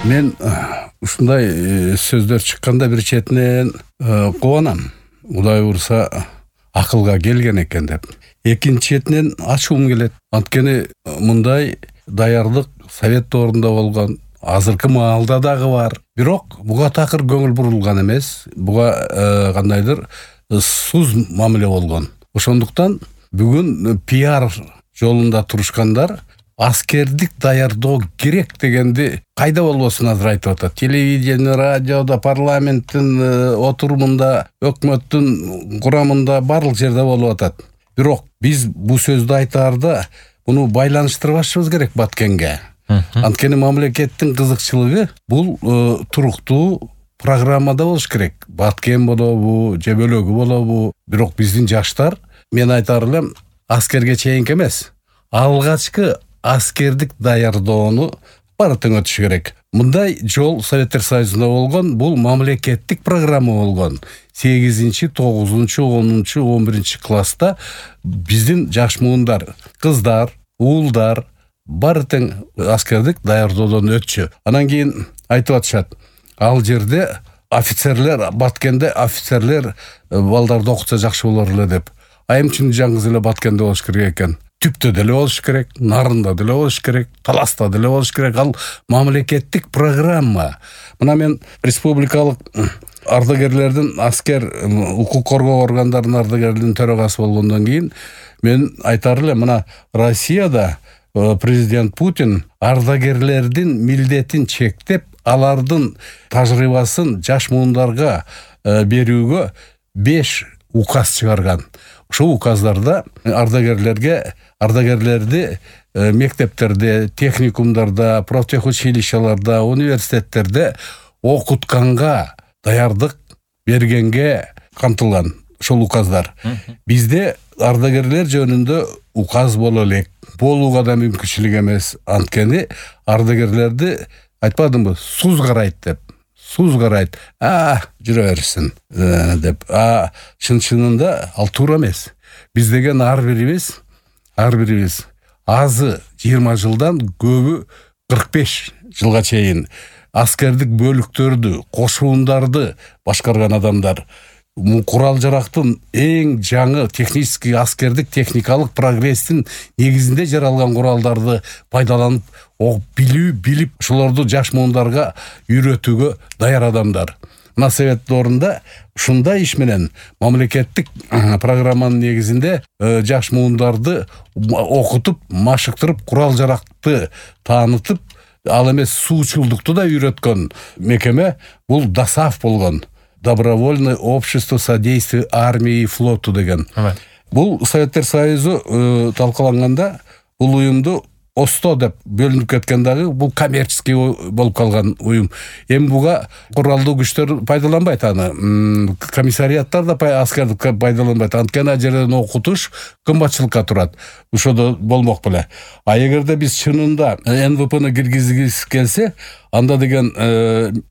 Мен ушундай сөздөр чыкканда бир четинен кубанам. Кудай урса акылга келген экен деп. Экинчи четинен ачуум келет. Анткени мындай даярдык совет доорунда болгон, азыркы маалда дагы бар. Бирок буга такыр көңүл бурулган эмес. Буга кандайдыр суз мамиле болгон. Ошондуктан бүгүн пиар жолунда турушкандар аскердик даярдоо керек дегенди кайда болбосун азыр айтып атат. Телевидение, радиода, парламенттин отурумунда, өкмөттүн курамында барлык жерде болуп атат. Бирок биз бул сөздү айтаарда муну байланыштырбашыбыз керек Баткенге. Анткени мамлекеттин кызыкчылыгы бул туруктуу программада болуш керек. Баткен болобу, же бөлөгү болобу. Бирок биздин жаштар, мен айтар элем, аскерге чейинки эмес, алгачкы аскердик даярдоону бары тең өтүш керек. Мындай жол Советтер Союзунда болгон, бул мамлекеттик программа болгон. 8-9, 10, 11 класста биздин жаш муундар, кыздар, уулдар бары тең аскердик даярдоодон өтчү. Анан кийин айтып атышат, ал жерде офицерлер, Баткенде офицерлер балдарды окутса жакшы болор эле деп. Айымчын жаңгыз эле Баткенде болуш керек экен. Түптө деле болуш керек, Нарында деле болуш керек, Таласта деле болуш керек. Ал мамлекеттик программа. Мына мен республикалык ардагерлердин, аскер укук коргоо органдарынын ардагерлеринин төрагасы болгондон кийин мен айтар элем, мына Россияда президент Путин ардагерлердин милдетин чектеп, алардын тажрыйбасын жаш муундарга берүүгө 5 указ чыгарган. Ошол указдарда ардагерлерди мектептерде, техникумдарда, профтехучилищаларда, университеттерде окутканга, даярдык бергенге камтылган ошол указдар. Бизде ардагерлер жөнүндө указ боло элек, болууга да мүмкүнчүлүк эмес. Анткени ардагерлерди айтпадымбы, суз карайт деп. Суз карайт, жүрө берсин деп. Чын-чынында ал туура эмес. Биз деген ар бирибиз азы 20 жылдан, көбү 45 жылга чейин аскердик бөлүктөрдү, кошуундарды башкарган адамдар. Курал жарактын эң жаңы технический аскердик техникалык прогресстин негизинде жаралган куралдарды пайдаланып, билип, ошолорду жаш муундарга үйрөтүүгө даяр адамдар. Мына совет доорунда ушундай иш менен мамлекеттик программанын негизинде жаш муундарды окутуп, машыктырып, курал жаракты таанытып, ал эмес суучулдукту да үйрөткөн мекеме бул ДОСААФ болгон. Добровольное общество содействия армии и флоту деген. Бул Советтер Союзу талкаланганда бул уюмду ОСТО деп бөлүнүп кеткен дагы, бул коммерческий болуп калган уюм. Эми буга куралдуу күчтөр пайдаланбайт аны. Комиссариаттар да аскердик пайдаланбайт. Анткени ал жерден окутуш кымбатчылыкка турат. Ошодо болмок беле. А эгерде биз чынында НВПны киргизгибиз келсе, анда деген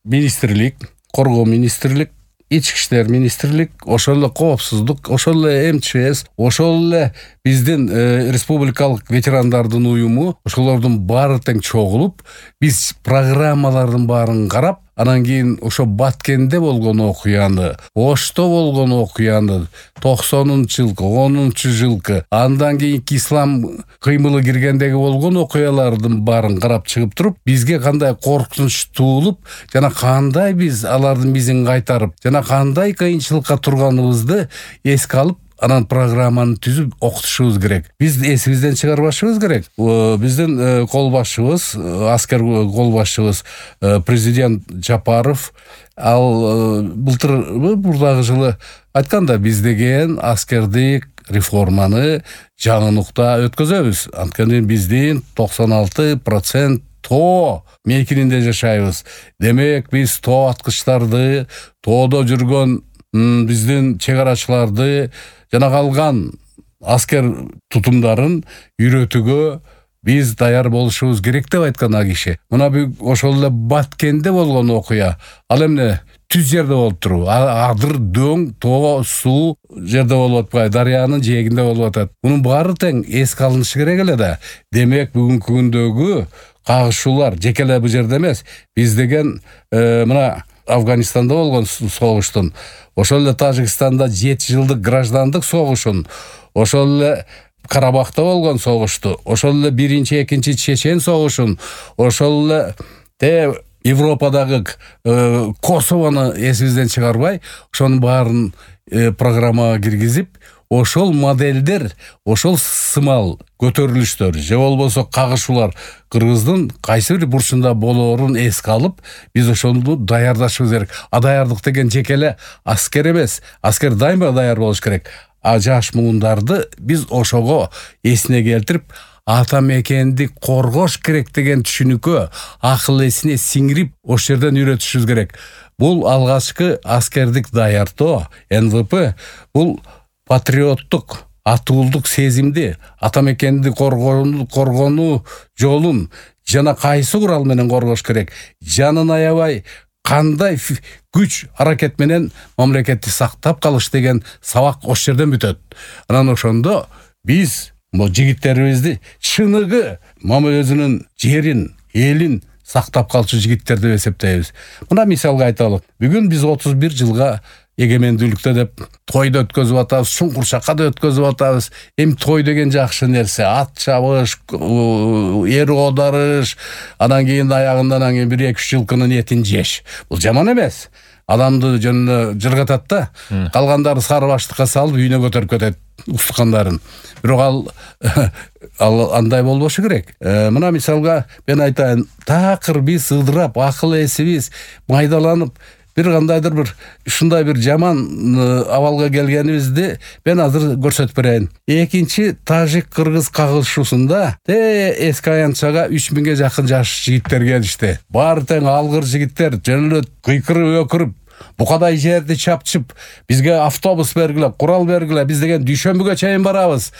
министрлик, коргоо министрлик, ички иштер министрлик, ошол эле коопсуздук, ошол эле МЧС, ошол эле биздин республикалык ветерандардын уюму, ошолордун баары тең чогулуп, биз программалардын баарын карап, анан кийин ошо Баткенде болгон окуяны, Ошто болгон окуяны, 90-жылкы, 10-жылкы, андан кийинки ислам кыймылы киргендеги болгон окуялардын баарын карап чыгып туруп, бизге кандай коркунуч туулуп, жана кандай биз алардын бизин кайтарып, жана кандай кыйынчылыкка турганыбызды эске алып, анан программаны түзүп окутушубуз керек. Биз эсибизден чыгарбашыбыз керек. Биздин кол башчыбыз, аскер кол башчыбыз президент Жапаров, ал бурдагы жылы айтканда, биз деген аскердик реформаны жаңы нукта өткөзөбүз. Анткени биздин 96% тоо мейкининде жашайбыз. Демек, биз тоо аткычтарды, тоодо жүргөн биздин чегарачыларды жана калган аскер тутумдарын үйрөтүүгө биз даяр болушубуз керек деп айткан а киши. Мына ошол эле Баткенде болгон окуя, ал эмне түз жерде болуп туруп, адыр, дөң, тоо, суу жерде болуп атпайбы, дарыянын жээгинде болуп атат. Мунун баары тең эске алынышы керек эле да. Демек, бүгүнкү күндөгү кагышуулар жеке эле бул жерде эмес. Биз деген мына Афганистанда болгон согуштун, ошол эле Тажикстанда 7 жылдык граждандык согушун, ошол эле Карабахта болгон согушту, ошол эле 1-2 Чечен согушун, ошол эле Европадагы Косовону эсибизден чыгарбай, ошонун баарын программага киргизип, ошол модельдер, ошол сымал көтөрүлүштөр же болбосо кагышуулар Кыргыздын кайсы бир бурчунда болоорун эске алып, биз ошону даярдашыбыз керек. Даярдык деген жеке эле аскер эмес. Аскер дайыма даяр болуш керек. Жаш муундарды биз ошого эсине келтирип, ата мекенди коргош керек деген түшүнүккө акыл эсине сиңирип, ошол жерден үйрөтүшүбүз керек. Бул алгачкы аскердик даярдоо, НВП, бул патриоттук, атуулдук сезимди, ата мекенди коргонуу жолун жана кайсы курал менен коргош керек, жанын аябай кандай күч аракет менен мамлекетти сактап калыш деген сабак ошол жерден бүтөт. Анан ошондо биз жигиттерибизди чыныгы өзүнүн жерин, элин сактап калчу жигиттер деп эсептейбиз. Мына мисалга айталы. Бүгүн биз 31 жылга эгемендүүлүктө деп тойду өткөзүп атабыз, чуңкурчакка өткөзүп атабыз. Эми той деген жакшы нерсе, ат чабыш, эр оодарыш, анан кийин аягында 1-2 жылкынын этин жеш. Бул жаман эмес. Адамды жөнүнө жыргатат да, калгандары сары баштыкка салып үйүнө көтөрүп кетет устукандарын. Бирок ал андай болбошу керек. Мына мисалга мен айтайын, такыр биз ыдырап, акыл эсибиз майдаланып, бир кандайдыр бир ушундай бир жаман абалга келгенибизди мен азыр көрсөтүп берейин. Экинчи тажик-кыргыз кагышуусунда эски аянтчага 3000ге жакын жаш жигиттер келишти. Баары тең алгыр жигиттер, жөн эле кыйкырып өкүрүп, букадай жерди чапчып, бизге автобус бергиле, курал бергиле, биз деген дүйшөмбүгө чейин барабыз.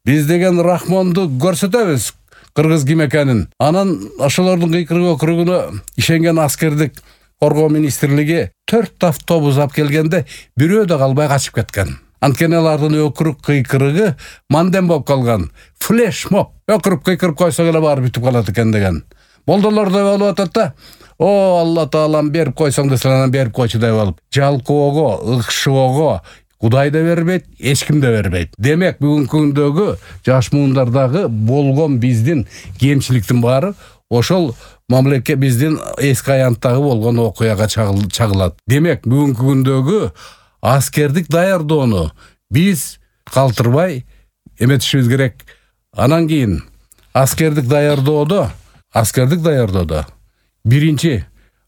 Биз деген Рахмонду көрсөтөбүз, кыргыз ким экенин. Анан ошолордун кыйкырып өкүрүгүнө ишенген аскердик коргоо министрлиги 4 автобус алып келгенде бирөө да калбай качып кеткен. Анткени алардын өкүрүк кыйкырыгы мандем болуп калган. Флешмоб. Өкүрүп кыйкырып койсок эле баары бүтүп калат экен деген. Молдолор да болуп атат да. О, Алла Таалам берип койсоң десең, анан берип койчу деп алып. Жалкоого, ыкшоого Кудай да бербейт, эч ким да бербейт. Демек, бүгүнкү күндөгү жаш муундардагы болгон биздин кемчиликтин баары ошол мамлекет биздин эски аянттагы болгон окуяга чагылат. Демек, бүгүнкү күндөгү аскердик даярдоону биз калтырбай эметишибиз керек. Анан кийин аскердик даярдоодо биринчи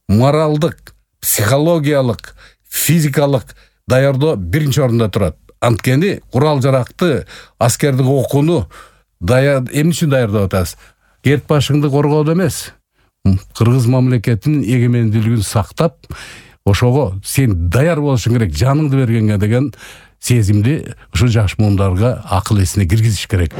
моралдык, психологиялык, физикалык даярдоо биринчи орунда турат. Анткени курал-жаракты, аскердик окууну эмне үчүн даярдап атабыз? Керт башыңды коргоодо эмес, кыргыз мамлекетинин эгемендүүлүгүн сактап, ошого сен даяр болушуң керек, жаныңды бергенге деген сезимди ушу жаш муундарга акыл эсине киргизиш керек.